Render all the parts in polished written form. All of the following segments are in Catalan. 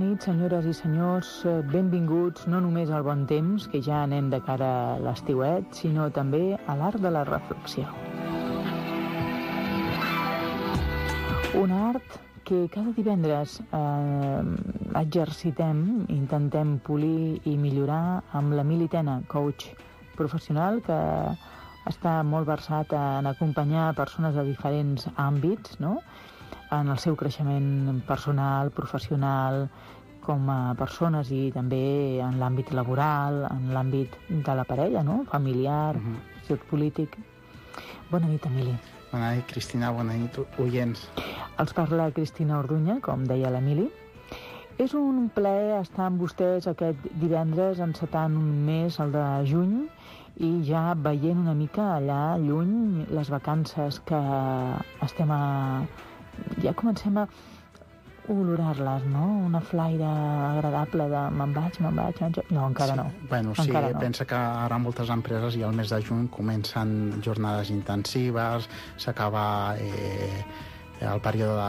nit, senyores i senyors. Benvinguts no només al bon temps, que ja anem de cara a l'estiuet, sinó també a l'art de la reflexió. Un art que cada divendres exercitem, intentem polir i millorar amb l'Emili Tena, coach professional que està molt versat en acompanyar persones de diferents àmbits, no?, en el seu creixement personal, professional, com a persones i també en l'àmbit laboral, en l'àmbit de la parella, no?, familiar, polític. Bona nit, Emili. Bona nit, Cristina, bona nit, oients. Els parla Cristina Orduña, com deia l'Emili. És un plaer estar amb vostès aquest divendres, encetant un mes, el de juny, i ja veient una mica allà lluny les vacances que estem ja comencem a olorar-les, no? Una flaire agradable de me'n vaig. No, encara no. Bueno, sí, encara no. Pensa que ara moltes empreses i al mes de juny comencen jornades intensives, s'acaba el període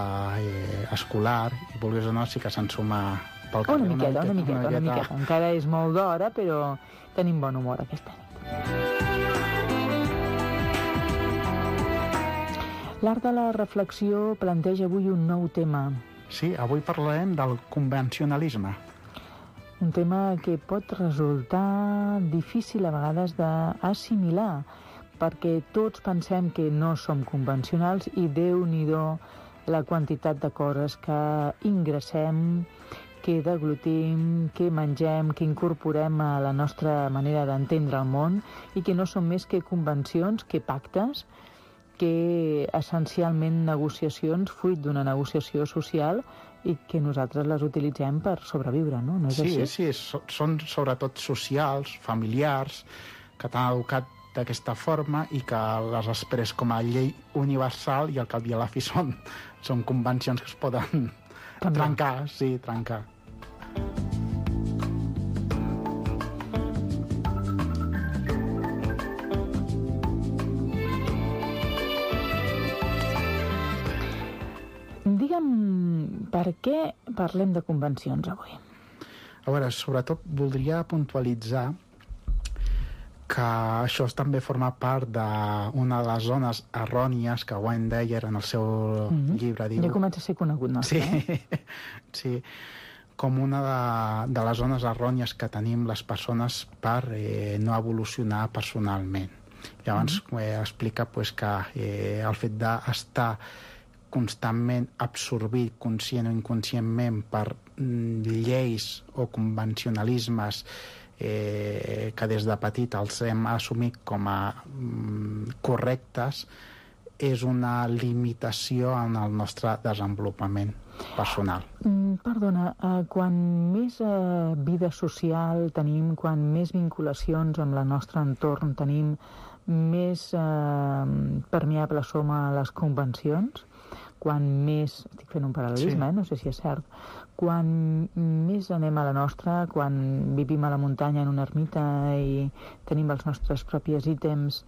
escolar, i vulguis o no, sí que se'n suma pel carrer. Una miqueta. Encara és molt d'hora, però tenim bon humor aquesta nit. L'art de la reflexió planteja avui un nou tema. Sí, avui parlarem del convencionalisme. Un tema que pot resultar difícil a vegades d'assimilar, perquè tots pensem que no som convencionals i Déu-n'hi-do la quantitat de coses que ingressem, que deglutim, que mengem, que incorporem a la nostra manera d'entendre el món i que no són més que convencions, que pactes, que essencialment negociacions, fruit d'una negociació social i que nosaltres les utilitzem per sobreviure, no? No és així? Sí, són sobretot socials, familiars, que t'han educat d'aquesta forma i que les després com a llei universal i al cap i a la fi són convencions que es poden trencar. Digue'm, per què parlem de convencions avui? A veure, sobretot voldria puntualitzar que això també forma part d'una de les zones errònies que Wayne Dyer en el seu llibre diu... Ja comença a ser conegut, no? Sí, com una de les zones errònies que tenim les persones per no evolucionar personalment. Llavors explica que el fet d'estar constantment absorbit, conscient o inconscientment, per lleis o convencionalismes que des de petit els hem assumit com a correctes, és una limitació en el nostre desenvolupament personal. Perdona, quan més vida social tenim, quan més vinculacions amb el nostre entorn tenim, més permeables som a les convencions, quan més, estic fent un paral·lelisme, no sé si és cert, quan més anem a la nostra, quan vivim a la muntanya en una ermita i tenim els nostres propis ítems,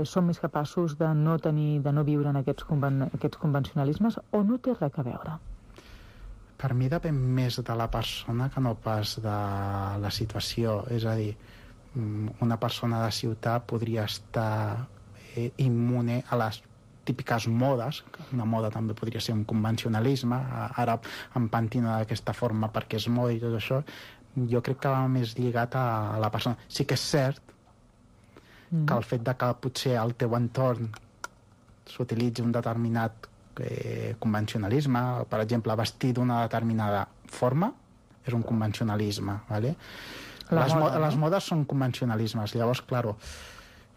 som més capaços de no viure en aquests convencionalismes, o no té res a veure? Per mi depèn més de la persona que no pas de la situació. És a dir, una persona de ciutat podria estar immune a les típiques modes. Una moda també podria ser un convencionalisme. Ara em pentino d'aquesta forma perquè és moda i tot això. Jo crec que va més lligat a la persona. Sí que és cert que el fet de que potser al teu entorn s'utilitzi un determinat convencionalisme, per exemple, vestir d'una determinada forma, és un convencionalisme, ¿vale? Les modes són convencionalismes. Llavors, claro,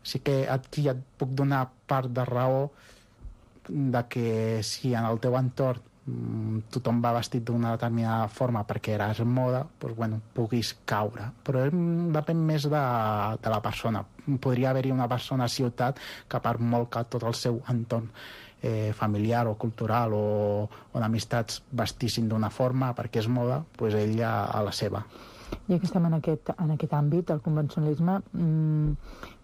sí que aquí et puc donar part de raó de que si en el teu entorn tothom va vestit d'una determinada forma perquè eres moda, doncs, bueno, puguis caure. Però depèn més de la persona. Podria haver-hi una persona a ciutat que per molt que tot el seu entorn familiar o cultural o d'amistats vestissin d'una forma perquè és moda, doncs ell a la seva. Ja que estem en aquest àmbit, el convencionalisme,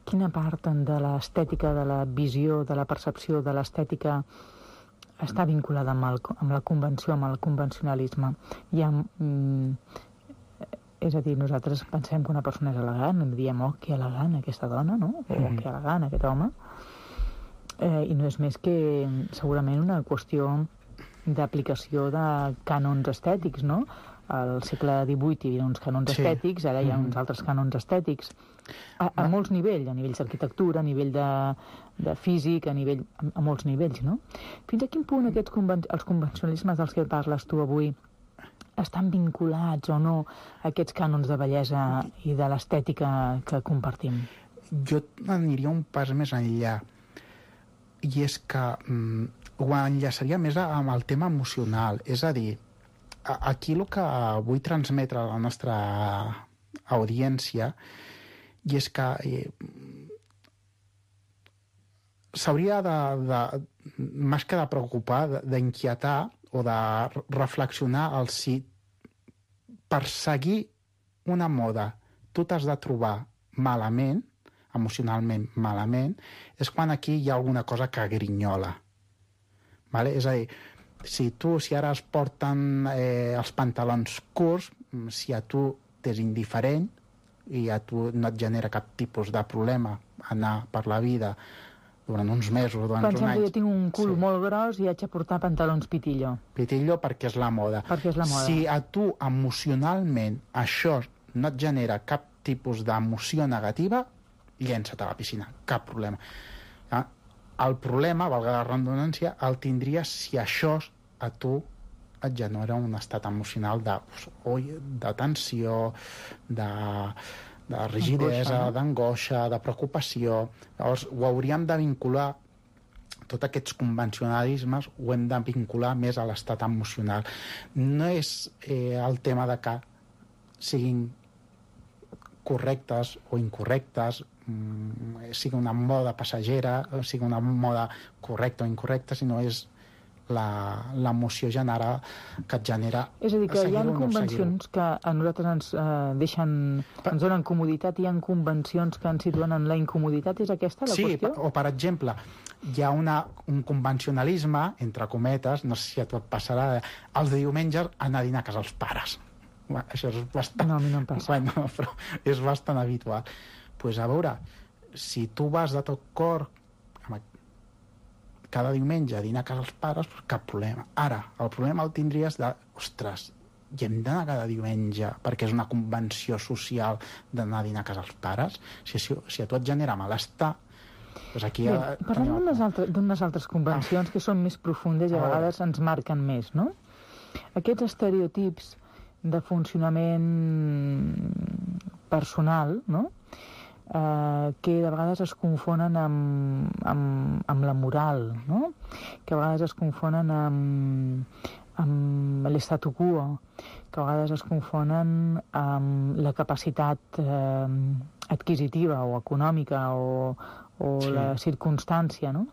quina part de l'estètica, de la visió, de la percepció de l'estètica està vinculada amb la convenció, amb el convencionalisme. És a dir, nosaltres pensem que una persona és elegant, i diem, oh, que elegant aquesta dona, no? O que elegant aquest home. I no és més que segurament una qüestió d'aplicació de cànons estètics, no? Al segle XVIII hi havia uns cànons estètics, ara hi ha uns altres cànons estètics, a molts nivells, a nivells d'arquitectura, a nivell de físic, a molts nivells, no? Fins a quin punt els convencionalismes dels que parles tu avui estan vinculats o no a aquests cànons de bellesa i de l'estètica que compartim? Jo aniria un pas més enllà, i és que ho enllaçaria més amb el tema emocional. És a dir, aquí el que vull transmetre a la nostra audiència i és que s'hauria més que de preocupar, d'inquietar o de reflexionar al si perseguir una moda tu t'has de trobar malament, emocionalment malament, és quan aquí hi ha alguna cosa que grinyola. Vale? És a dir, si ara es porten els pantalons curts, si a tu t'és indiferent i a tu no et genera cap tipus de problema anar per la vida durant uns mesos, durant uns anys... Pensem que jo tinc un cul molt gros i haig de portar pantalons pitillo. Pitillo perquè és la moda. Perquè és la moda. Si a tu emocionalment això no et genera cap tipus d'emoció negativa, llença't a la piscina, cap problema. El problema, valga la redundància, el tindries si això a tu et genera un estat emocional de tensió, de rigidesa, d'angoixa, de preocupació. Llavors, ho hauríem de vincular, tots aquests convencionalismes ho hem de vincular més a l'estat emocional. No és el tema de que siguin correctes o incorrectes, sigui una moda passagera, sigui una moda correcta o incorrecta, sinó és l'emoció que et genera. És a dir, que hi ha convencions que a nosaltres ens donen comoditat, i hi ha convencions que ens situen en la incomoditat. És aquesta la qüestió? Sí, o per exemple, hi ha un convencionalisme, entre cometes, no sé si a tu et passarà, els de diumenges anar a dinar a casa els pares. Això és bastant... No, a mi no em passa. Bueno, però és bastant habitual. Doncs a veure, si tu vas de tot cor cada diumenge a dinar a casa els pares, cap problema. Ara, el problema el tindries ostres, i hem d'anar cada diumenge perquè és una convenció social d'anar a dinar a casa els pares? Si a tu et genera malestar, doncs aquí... Bé, parlem d'unes altres convencions que són més profundes i a vegades ens marquen més, no? Aquests estereotips de funcionament personal, no?, que de vegades es confonen amb la moral, no?, que a vegades es confonen amb l'statu quo, que a vegades es confonen amb la capacitat adquisitiva o econòmica o la circumstància, no?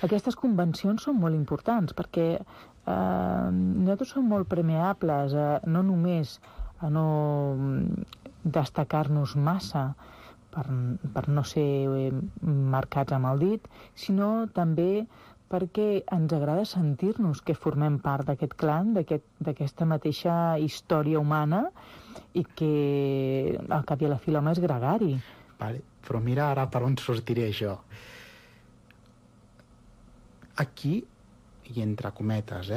Aquestes convencions són molt importants perquè nosaltres som molt permeables no només a no destacar-nos massa per no ser marcats amb el dit, sinó també perquè ens agrada sentir-nos que formem part d'aquest clan, d'aquesta mateixa història humana, i que al cap i a la fi l'home és gregari. Vale, però mira ara per on sortiré jo. Aquí, i entre cometes,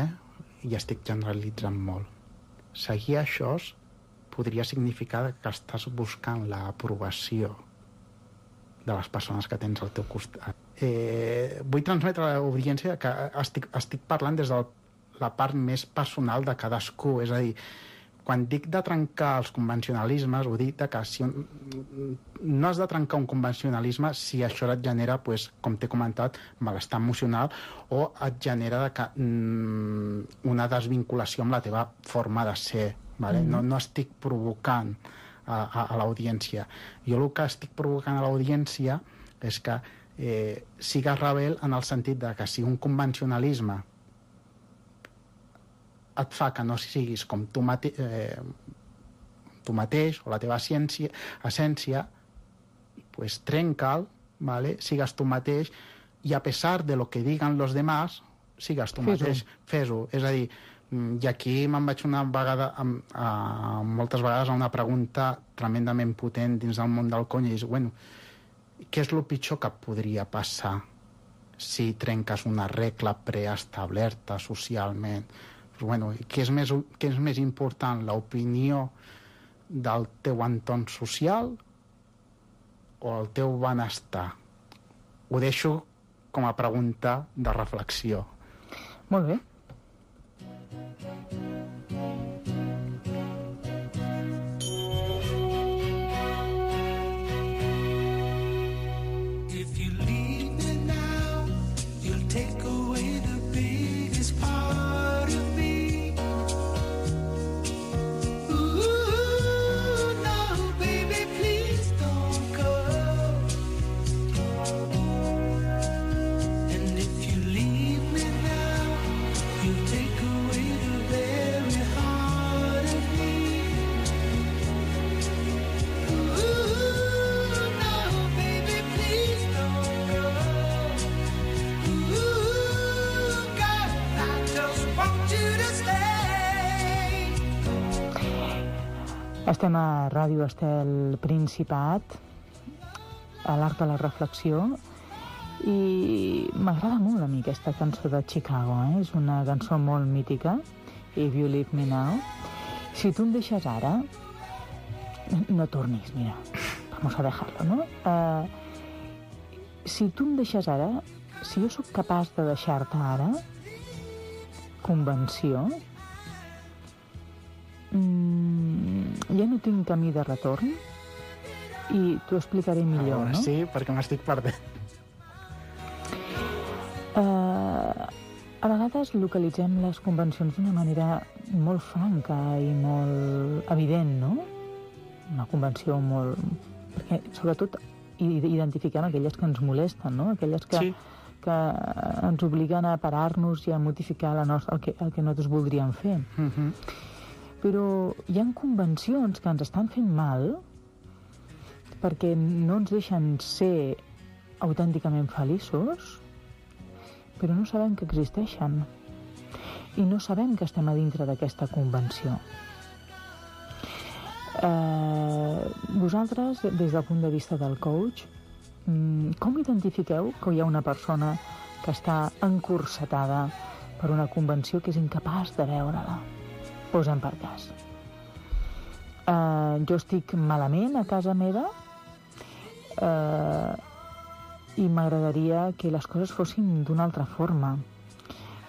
i estic generalitzant molt, seguir això podria significar que estàs buscant l'aprovació de les persones que tens al teu costat. Vull transmetre a l'audiència que estic parlant des de la part més personal de cadascú, és a dir, quan dic de trencar els convencionalismes, ho dic que si no has de trencar un convencionalisme si això et genera, com t'he comentat, malestar emocional o et genera una desvinculació amb la teva forma de ser. Vale? No estic provocant a l'audiència. Jo el que estic provocant a l'audiència és que sigues rebel en el sentit de que si un convencionalisme et fa que no siguis com tu mateix o la teva essència, trenca'l, ¿vale? Sigues tu mateix, i a pesar de lo que digan los demás sigues tu mateix, fes-ho. És a dir, i aquí me'n vaig una vegada, moltes vegades, a una pregunta tremendament potent dins del món del cony, i és, bueno, què és el pitjor que podria passar si trenques una regla preestablerta socialment? Pues, bueno, què és més important, l'opinió del teu entorn social o el teu benestar? Ho deixo com a pregunta de reflexió. Molt bé. If you leave me now, you'll take away the biggest part of me. Ooh, no, baby, please don't go. And if you leave me now, you'll take away the very heart of me. Ooh, no, baby, please don't go. Ooh, God, I just want you to stay. Estem a Ràdio Estel Principat, a l'Art de la Reflexió, i m'agrada molt a mi aquesta cançó de Chicago, És una cançó molt mítica, If You Leave Me Now. Si tu em deixes ara, no tornis, mira, vamos a dejarlo, ¿no? Si tu em deixes ara, si jo sóc capaç de deixar-te ara, convenció, ja no tinc camí de retorn i t'ho explicaré millor, no? Sí, perquè m'estic perdent. A vegades localitzem les convencions d'una manera molt franca i molt evident, no? Una convenció molt... Perquè, sobretot, identifiquem aquelles que ens molesten, no? Aquelles que, Sí. que ens obliguen a parar-nos i a modificar el que nosaltres voldríem fer. Però hi ha convencions que ens estan fent mal perquè no ens deixen ser autènticament feliços, però no sabem que existeixen i no sabem que estem a dintre d'aquesta convenció. Vosaltres, des del punt de vista del coach, com identifiqueu que hi ha una persona que està encursetada per una convenció que és incapaç de veure-la? Posem per cas. Jo estic malament a casa meva i m'agradaria que les coses fossin d'una altra forma.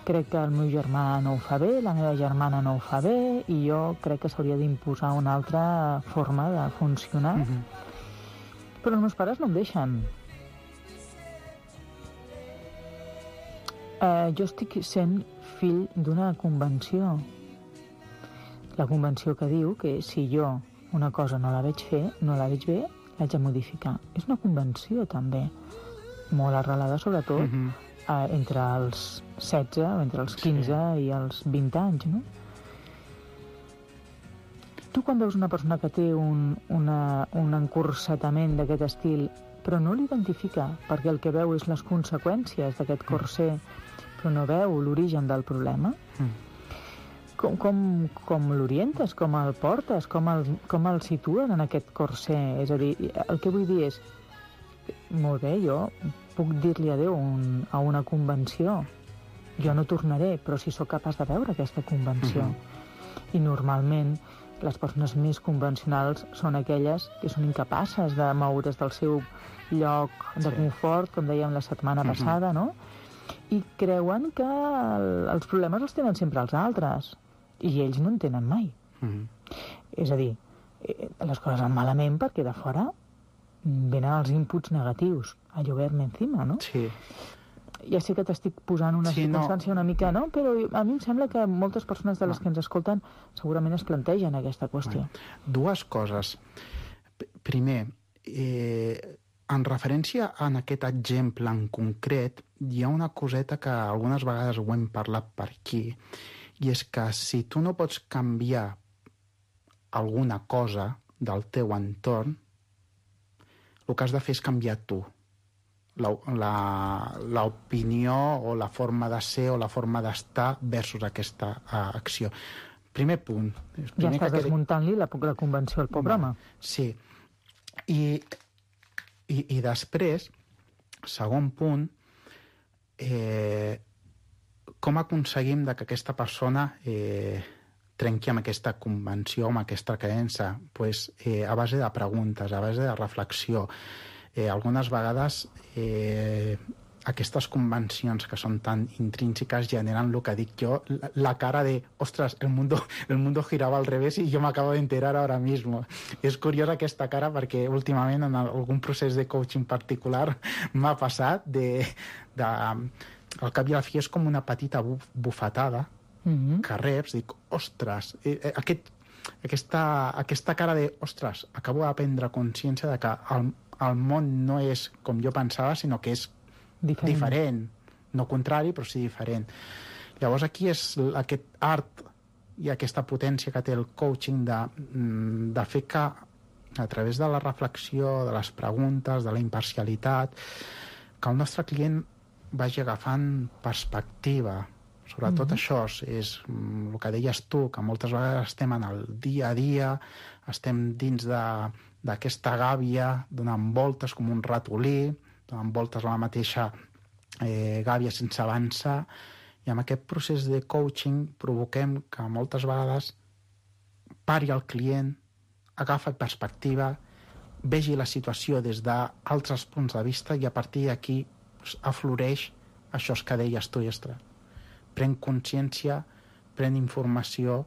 Crec que el meu germà no ho fa bé, la meva germana no ho fa bé, i jo crec que s'hauria d'imposar una altra forma de funcionar. Però els meus pares no em deixen. Jo estic sent fill d'una convenció. La convenció que diu que si jo una cosa no la veig fer, no la veig bé, l'haig de modificar. És una convenció, també, molt arrelada, sobretot, entre els 16 o entre els 15 i els 20 anys, no? Tu, quan veus una persona que té un encursetament d'aquest estil, però no l'identifica, perquè el que veu és les conseqüències d'aquest corser, però no veu l'origen del problema, com l'orientes, com el portes, com el situes en aquest corser? És a dir, el que vull dir és, molt bé, jo puc dir-li adéu a una convenció, jo no tornaré, però si sóc capaç de veure aquesta convenció. I normalment les persones més convencionals són aquelles que són incapaces de moure's del seu lloc de confort, com dèiem la setmana passada, no? I creuen que els problemes els tenen sempre els altres, i ells no en tenen mai. És a dir, les coses van malament perquè de fora venen els inputs negatius a llover-me encima, no? Sí. Ja sé que t'estic posant una circumstància una mica, no? Però a mi em sembla que moltes persones de les que ens escolten segurament es plantegen aquesta qüestió. Dues coses. Primer, en referència a aquest exemple en concret, hi ha una coseta que algunes vegades ho hem parlat per aquí, i és que si tu no pots canviar alguna cosa del teu entorn, el que has de fer és canviar tu. l'opinió o la forma de ser o la forma d'estar versus aquesta acció. Primer punt. Ja estàs desmuntant-li la convenció al pobre home. Sí. I després, segon punt, com aconseguim que aquesta persona trenqui amb aquesta convenció, amb aquesta creença? Pues, a base de preguntes, a base de reflexió. Algunes vegades aquestes convencions que són tan intrínseques generen el que dic jo, la cara de, ostres, el mundo girava al revés i jo m'acabo d'enterar ara mismo. És curiosa aquesta cara perquè últimament en algun procés de coaching particular m'ha passat al cap i a la fi és com una petita bufetada que reps, dic, ostres, aquesta cara de, ostres, acabo de prendre consciència de que el món no és com jo pensava, sinó que és diferent. No contrari, però sí diferent. Llavors aquí és aquest art i aquesta potència que té el coaching de fer que a través de la reflexió, de les preguntes, de la imparcialitat, que el nostre client vagi agafant perspectiva. Sobretot això és el que deies tu, que moltes vegades estem en el dia a dia, estem dins d'aquesta gàbia, donant voltes com un ratolí, donant voltes a la mateixa gàbia sense avançar, i amb aquest procés de coaching provoquem que moltes vegades pari el client, agafa perspectiva, vegi la situació des d'altres punts de vista i a partir d'aquí afloreix això que deies tu, Estra. Pren consciència, pren informació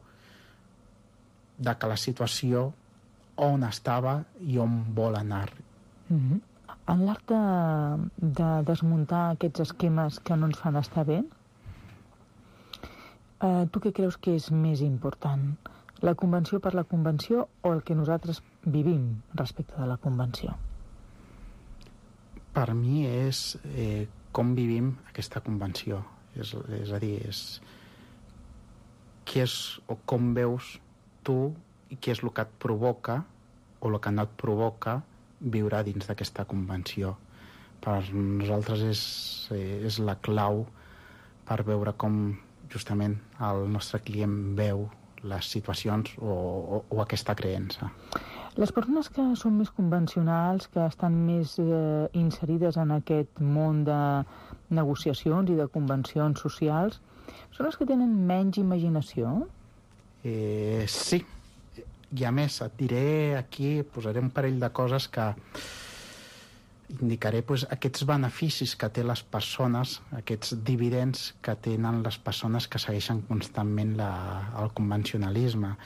de que la situació on estava i on vol anar. En l'art de desmuntar aquests esquemes que no ens fan estar bé, tu què creus que és més important? La convenció per la convenció o el que nosaltres vivim respecte de la convenció? Per mi és com vivim aquesta convenció. És a dir, què és o com veus tu i què és el que et provoca o el que no et provoca viure dins d'aquesta convenció. Per nosaltres és la clau per veure com justament el nostre client veu les situacions o aquesta creença. Les persones que són més convencionals, que estan més inserides en aquest món de negociacions i de convencions socials, són les que tenen menys imaginació? Sí. I a més, et diré aquí, posaré un parell de coses que indicaré aquests beneficis que té les persones, aquests dividends que tenen les persones que segueixen constantment el convencionalisme.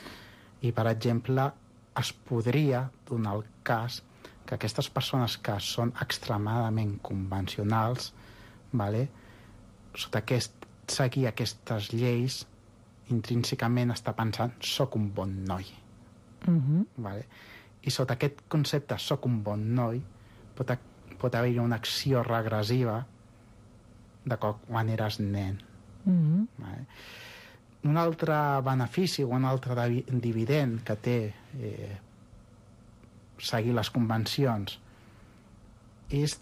I, per exemple, es podria donar el cas que aquestes persones que són extremadament convencionals, sota seguir aquestes lleis, intrínsecament està pensant soc un bon noi. I sota aquest concepte soc un bon noi pot haver-hi una acció regressiva de quan eres nen. Un altre benefici o un altre dividend que té seguir les convencions és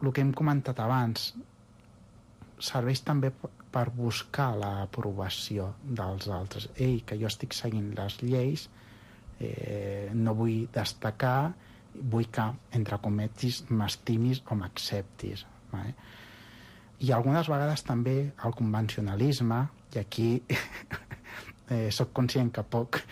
el que hem comentat abans, serveix també per buscar l'aprovació dels altres. Que jo estic seguint les lleis, no vull destacar, vull que, entre cometis, m'estimis o m'acceptis. I algunes vegades també el convencionalisme, i aquí soc conscient que puc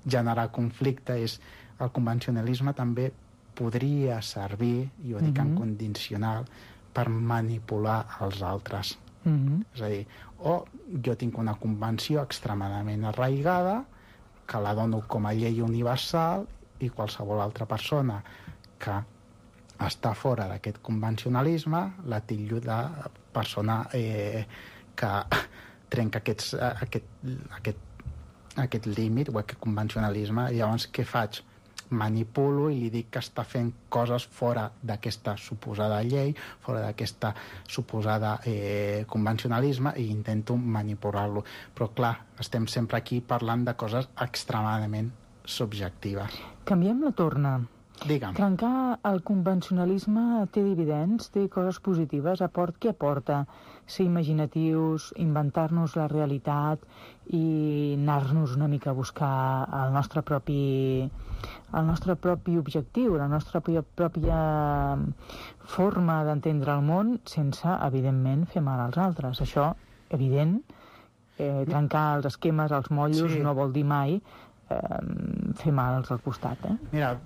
generar conflicte, és el convencionalisme també podria servir, i ho dic en condicional, per manipular els altres. És a dir, o jo tinc una convenció extremadament arraigada que la dono com a llei universal i qualsevol altra persona que està fora d'aquest convencionalisme la tillo de persona que trenca aquest límit o aquest convencionalisme. Llavors, què faig? Manipulo i li dic que està fent coses fora d'aquesta suposada llei, fora d'aquesta suposada convencionalisme, i intento manipular-lo. Però, clar, estem sempre aquí parlant de coses extremadament subjectives. Canviem la torna. Digue'm. Trencar el convencionalisme té dividends, té coses positives. Què aporta? Ser imaginatius, inventar-nos la realitat i anar-nos una mica a buscar el nostre propi objectiu, la nostra pròpia forma d'entendre el món sense, evidentment, fer mal als altres. Això, evident, trencar els esquemes, els motllos, no vol dir mai fer mal al costat. Mira,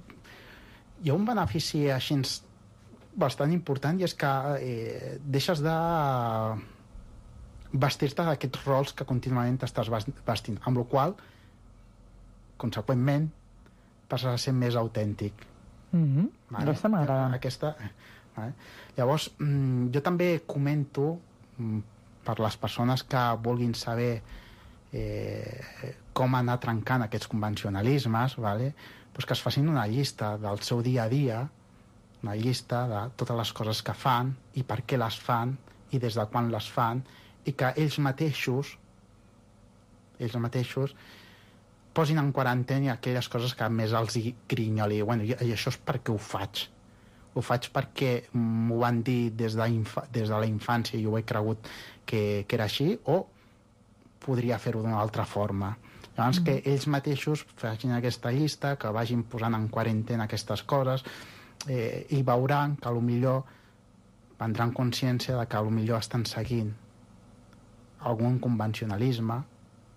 hi ha un benefici així bastant important, i és que deixes de vestir-te d'aquests rols que contínuament t'estàs vestint, amb la qual cosa, conseqüentment, passes a ser més autèntic. Aquesta m'agrada. Vale? Llavors, jo també comento, per les persones que vulguin saber com anar trencant aquests convencionalismes, vale? Pues que es facin una llista del seu dia a dia, una llista de totes les coses que fan i per què les fan i des de quan les fan, i que ells mateixos posin en quarantena aquelles coses que més els grinyoli. Bueno, i això és perquè ho faig. Ho faig perquè m'ho van dir des de la infància i ho he cregut que era així, o podria fer-ho d'una altra forma. Llavors, que ells mateixos facin aquesta llista, que vagin posant en quarantena aquestes coses, i veuran que potser prendran consciència de que potser estan seguint algun convencionalisme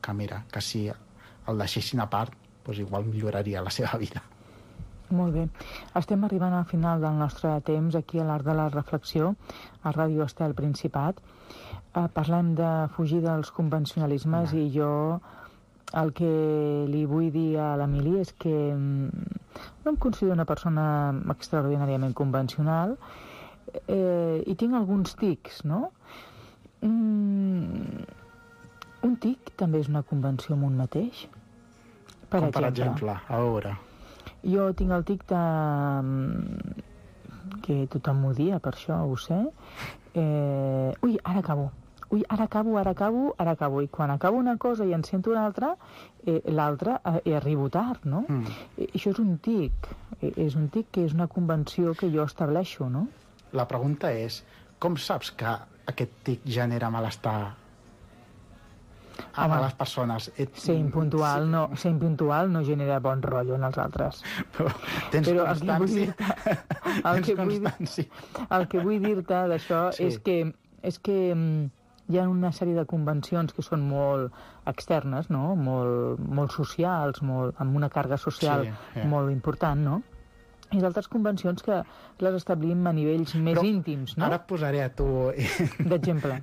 que, mira, que si el deixessin a part, doncs igual milloraria la seva vida. Molt bé. Estem arribant al final del nostre temps aquí a l'Art de la Reflexió, a Ràdio Estel Principat. Parlem de fugir dels convencionalismes i jo el que li vull dir a l'Emili és que no em considero una persona extraordinàriament convencional i tinc alguns tics, no? Un tic també és una convenció amb un mateix. Per exemple, a veure... Jo tinc el tic de... que tothom m'ho dia, per això ho sé. Ui, ara acabo. I quan acabo una cosa i en sento una altra, l'altra arribo tard, no? Això és un tic. És un tic que és una convenció que jo estableixo, no? La pregunta és, com saps que aquest tic genera malestar a les persones? Ser impuntual no genera bon rotllo en els altres. Però el que vull dir-te d'això és que hi ha una sèrie de convencions que són molt externes, no? Molt socials, amb una càrrega social molt important, no? I d'altres convencions que les establim a nivells més íntims, no? Ara et posaré a tu... d'exemple.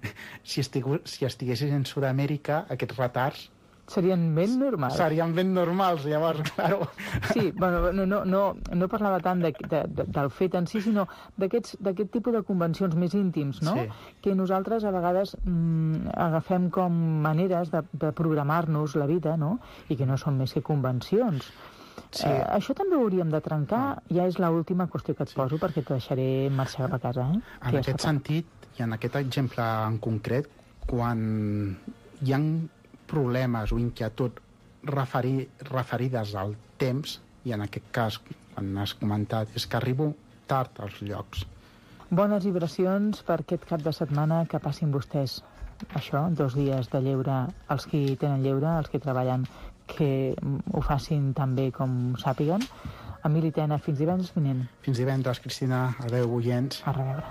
Si estiguessis en Sud-amèrica, aquests retards... Serien ben normals. Serien ben normals, llavors, claro. Sí, bueno, no parlava tant del fet en si, sinó d'aquest tipus de convencions més íntims, no? Sí. Que nosaltres a vegades agafem com maneres de programar-nos la vida, no? I que no són més que convencions. Sí. Això també ho hauríem de trencar. Ja és l'última qüestió que et poso, perquè te deixaré marxar cap a casa. En aquest sentit, i en aquest exemple en concret, quan hi ha problemes o inquietuds referides al temps, i en aquest cas, quan has comentat, és que arribo tard als llocs. Bones vibracions per aquest cap de setmana, que passin vostès això, 2 dies de lleure, els que tenen lleure, els que treballen, que ho facin tan bé com sàpiguen. Emili Tena, fins divendres vinent. Fins divendres, Cristina. Adéu, oients. A reveure.